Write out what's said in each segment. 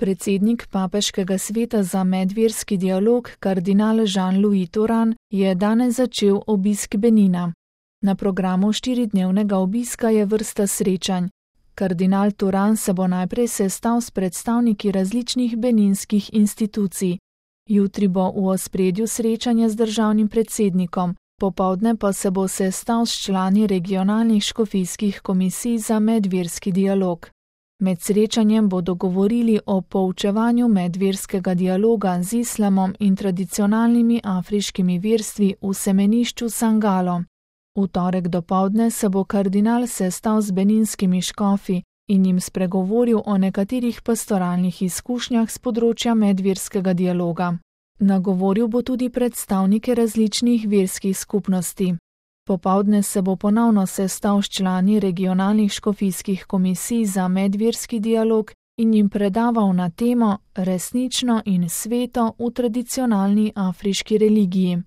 Predsednik Papeškega sveta za medverski dialog, kardinal Jean-Louis Thuran, je danes začel obisk Benina. Na programu 4-dnevnega obiska je vrsta srečanj. Kardinal Thuran se bo najprej sestal s predstavniki različnih beninskih institucij. Jutri bo v ospredju srečanje z državnim predsednikom, popoldne pa se bo sestal s člani regionalnih škofijskih komisij za medverski dialog. Med srečanjem bodo govorili o poučevanju medverskega dialoga z islamom in tradicionalnimi afriškimi verstvi v semenišču Sangalo. V torek dopoldne se bo kardinal sestal z beninskimi škofi in jim spregovoril o nekaterih pastoralnih izkušnjah s področja medverskega dialoga. Nagovoril bo tudi predstavnike različnih verskih skupnosti. Popoldne se bo ponovno sestal s člani regionalnih škofijskih komisij za medverski dialog in jim predaval na temo Resnično in sveto v tradicionalni afriški religiji.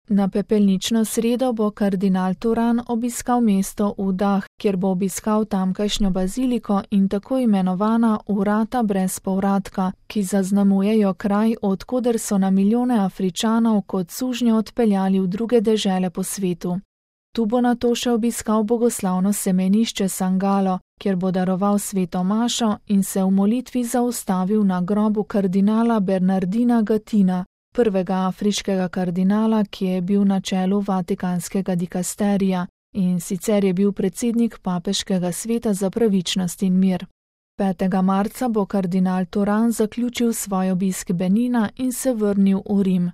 Na pepelnično sredo bo kardinal Thuran obiskal mesto Udah, kjer bo obiskal tamkajšnjo baziliko in tako imenovana vrata brez povratka, ki zaznamujejo kraj, odkoder so na milijone Afričanov kot sužnje odpeljali v druge dežele po svetu. Tu bo nato še obiskal bogoslavno semenišče Sangalo, kjer bo daroval sveto mašo in se v molitvi zaustavil na grobu kardinala Bernardina Gatina, prvega afriškega kardinala, ki je bil na čelu Vatikanskega dikasterija in sicer je bil predsednik Papeškega sveta za pravičnost in mir. 5. marca bo kardinal Thuran zaključil svoj obisk Benina in se vrnil v Rim.